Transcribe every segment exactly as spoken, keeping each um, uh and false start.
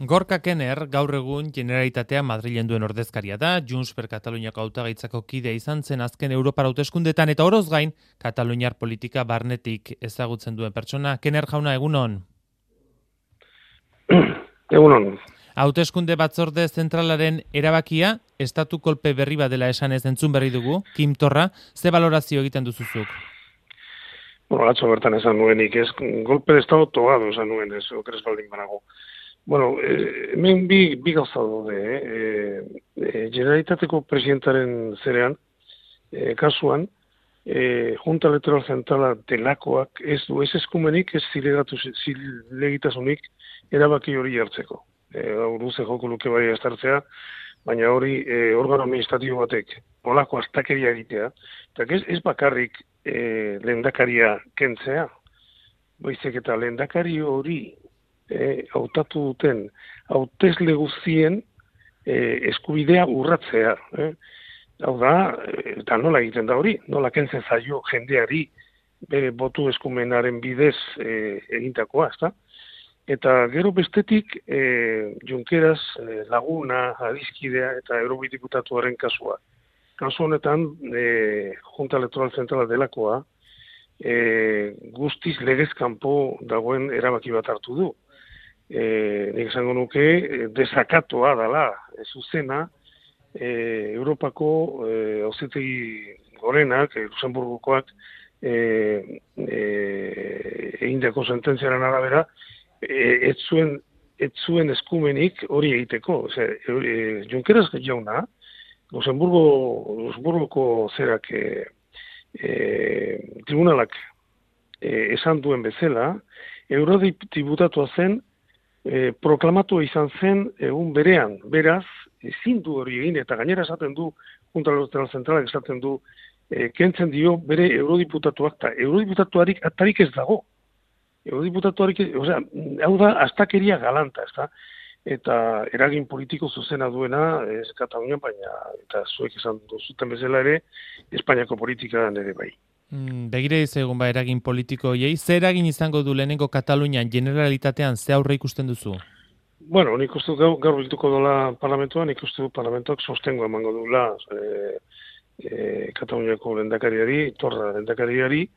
Gorka Kenner gaur egun Generalitatea Madrilen duen ordezkaria da, Junts per Kataluniako hautagaitzako kidea izan zen azken Europar hauteskundetan eta oroz gain Kataluniar politika barnetik ezagutzen duen pertsona. Kenner jauna, egunon. Egunon. Hauteskunde batzorde zentralaren erabakia, estatu kolpe berri bat dela esan ez entzun berri dugu, Kim Torra, ze balorazio egiten duzuzuk? Bueno, atzo bertan esan nuenik, ez, golpe de estado togado esan nuen, ez, okeres baldin banago. Bueno, eh, hemen bi, bi gauza daude, eh, eh, Generalitateko presidentaren zerean, eh, kasuan, eh, Junta Electoral Zentrala delakoak ez du, ez eskumenik, ez zilegatu, zilegitasunik erabaki hori hartzeko. Eh, Luze joko luke bai estartzea, baina hori eh, organo administratibo batek olako astakeria egitea, eta ez, ez bakarrik eh, lehendakaria kentzea, baizik eta lehendakari hori eh, hautatu duten hautesle guztien eh, eskubidea urratzea. Eh? Hau da, eta nola egiten da hori, nola kentzen zaio jendeari bere botu eskumenaren bidez eh, egintakoa, ezta? Eta gero bestetik, e, Junqueras e, laguna, adiskidea eta eurodiputatuaren kasua. Kasu honetan, e, Junta Electoral Zentrala delakoa, e, guztiz legezkanpo dagoen erabaki bat hartu du. E, nik esango nuke, desakatoa dela, e, zuzena, e, Europako e, auzitegi gorenak, e, Luxemburgokoak, e, e, egindako sententziaren arabera, ez zuen, ez zuen eskumenik hori egiteko. Ose, e, Junqueras jauna, Luxemburgo, Luxemburgoko zerak e, e, tribunalak e, esan duen bezala, eurodiputatua zen, e, proklamatu izan zen egun berean. Beraz, ezin du hori egin, eta gainera esaten du, Junta Electoral Zentralak esaten du, e, kentzen dio bere eurodiputatuak, eta eurodiputatuarik atarik ez dago. Eurodiputatuarik, osea, hau da, astakeria galanta, ezta? Eta eragin politiko zuzena duena, ez Katalunian, baina, eta zuek esan duzuten bezala ere, Espainiako politikan ere bai. Mm, begire egun ba eragin politiko hiei, ze eragin izango du lehenengo Katalunian Generalitatean ze aurre ikusten duzu? Bueno, nik uste gaur, gaur biltuko dola parlamentoan, nik uste du parlamentoak sostengo emango dula e, e, Kataluniako lehendakariari, Torra lehendakariari,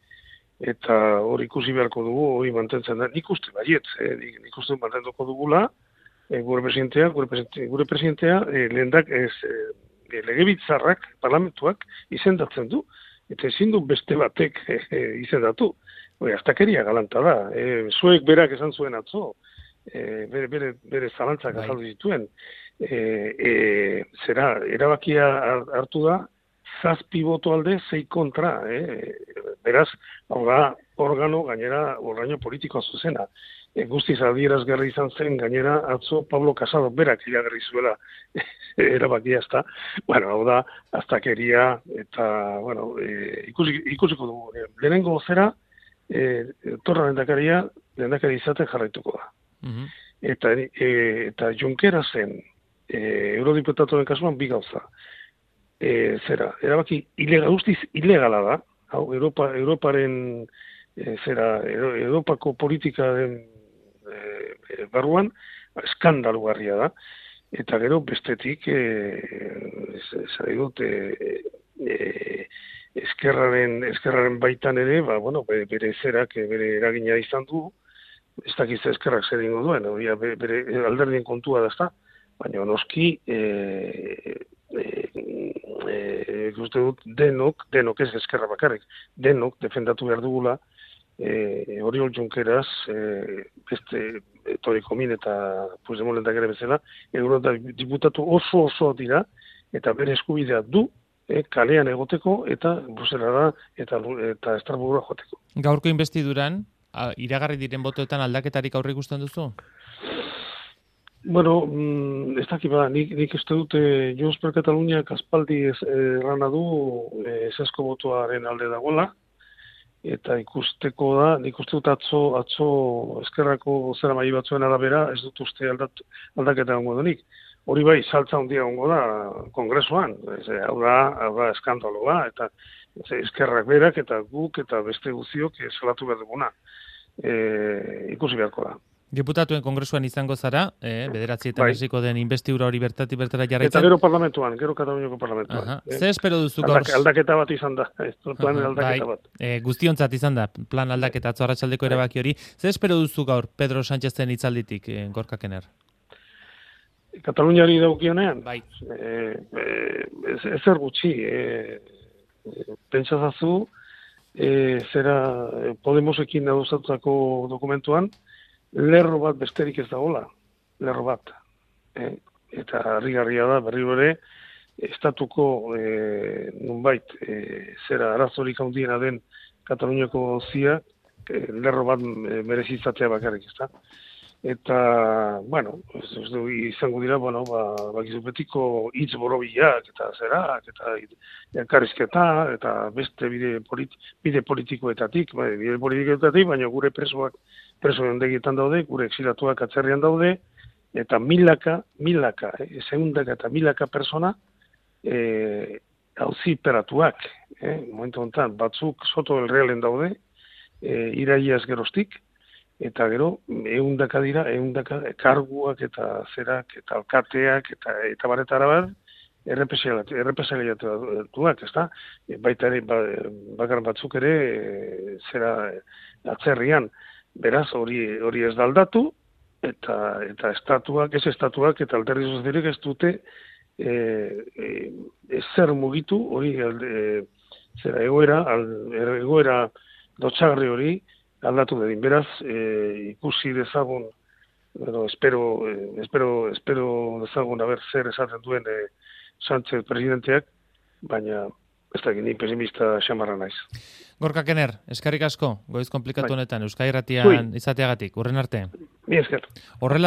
eta hori ikusi beharko dugu, hori mantentzen da, nik uste baiet, eh, nik uste mantenduko dugula, eh, gure presidentea, gure presidentea, gure presidentea eh, lehendak ez, eh, legebiltzarrak, parlamentuak izendatzen du, eta ezin du beste batek eh, izendatu. Hori, astakeria galanta da, eh, zuek berak esan zuen atzo, eh, bere, bere, bere zalantzak azaldu dituen, eh, eh, zera, erabakia hartu da, zazpi boto alde, zei kontra, eh? Beraz, hau da, organo, gainera, orgaino politikoa zuzena. E, guztiz adierazgarri izan zen, gainera, atzo Pablo Casado berak iragarri zuela erabakia ezta. Bueno, hau da, astakeria, eta, bueno, e, ikusi, ikusiko dugu. E, lehenengo zera, e, Torra lehendakaria, lehendakari izaten jarraituko da. Mm-hmm. Eta, e, eta Junquerasen, e, eurodiputatuaren kasuan, bi gauza. E, zera, erabaki ilegal, guztiz ilegala da, hau, Europa, Europaren, e, zera, Europako politikaren e, barruan, eskandalugarria da, eta gero bestetik, e, zari dut, e, e, eskerraren, eskerraren baitan ere, ba, bueno, bere, bere zerak, bere eragina izan du, ez dakiz eskerrak zer ingo duen, hori bere, bere alderdien kontua da, baina noski, e, E, uste dut denok, denok ez eskerra bakarrik, denok defendatu behar dugula e, Oriol Junqueras e, beste Toni Comín eta Puigdemont lehendakari bezala, eurodiputatu oso oso dira eta bere eskubidea du e, kalean egoteko eta Bruselara eta, eta Estrasburgora joateko. Gaurko investiduran, iragarri diren botoetan aldaketarik aurre ikusten duzu? Bueno, mm, ez dakit bada, nik, nik uste dute Junts per Kataluniak aspaldi ez errana du esesko botoaren alde dagoela, eta ikusteko da, nik uste dut atzo, atzo eskerrako zera mai batzuen arabera, ez dut uste aldat, aldaketa gongo denik. Hori bai, saltza handia gongo da kongresuan, ez, hau da, hau da eskandaloa, eta ez, eskerrak berak, eta guk, eta beste guziok salatu behar duguna. E, ikusi beharko da. Diputatuen kongresuan izango zara, eh, bederatzietan Bai. hasiko den investidura hori bertatik bertara Eta jarraitzen. gero parlamentuan, gero Kataluniako parlamentuan. Aha. Eh? Ze espero duzu gaur? Aldak, aldaketa bat izan da, ez, plan Aha, aldaketa bai. bat. E, guztiontzat izan da, plan aldaketa atzo arratsaldeko Bai. erabaki hori. Ze espero duzu gaur Pedro Sánchezen hitzalditik, eh, Gorka Kenner? Kataluniari daukionean? Bai. Eh, eh, ez, ezer gutxi, eh, eh, pentsazazu, eh, zera eh, Podemosekin adostutako dokumentuan, lerro bat besterik ez dagoela, lerro bat. Eh? Eta harrigarria da, berriro ere, estatuko eh, nunbait, eh, zera arazorik handiena den Kataluniako zia, eh, lerro bat eh, merezizatea bakarrik, ezta? Eta, bueno, ez, ez du izango dira, bueno, ba, bakizu betiko hitz borobilak, eta zerak, eta elkarrizketa, eta beste bide, politi, bide politikoetatik, bai, bide politikoetatik, baina gure presoak, preso ondegietan daude, gure exilatuak atzerrian daude, eta milaka, milaka, eh, zeundaka eta milaka persona, eh, auziperatuak, eh, momentu honetan, batzuk soto el realen daude, eh, iraiaz geroztik, eta gero, eundaka dira, eundaka karguak eta zerak, eta alkateak, eta, eta baretara bat, errepresaliatuak, ez da? Baita ere, ba, bakar batzuk ere, e, zera atzerrian, beraz, hori hori ez da aldatu, eta, eta estatuak, ez estatuak, eta alderdi sozialek ez dute, e, e, ezer mugitu, hori, e, zera, egoera, al, egoera dotxagarri hori, aldatu dedin. Beraz, e, ikusi dezagun, bueno, espero, eh, espero, espero dezagun haber zer esaten duen e, Sánchez presidenteak, baina ez da gini pesimista xamarra naiz. Gorka Kenner, eskarrik asko, goiz komplikatu Bai. honetan, Euskadi Irratian izateagatik, urren arte. Mi esker. Horrela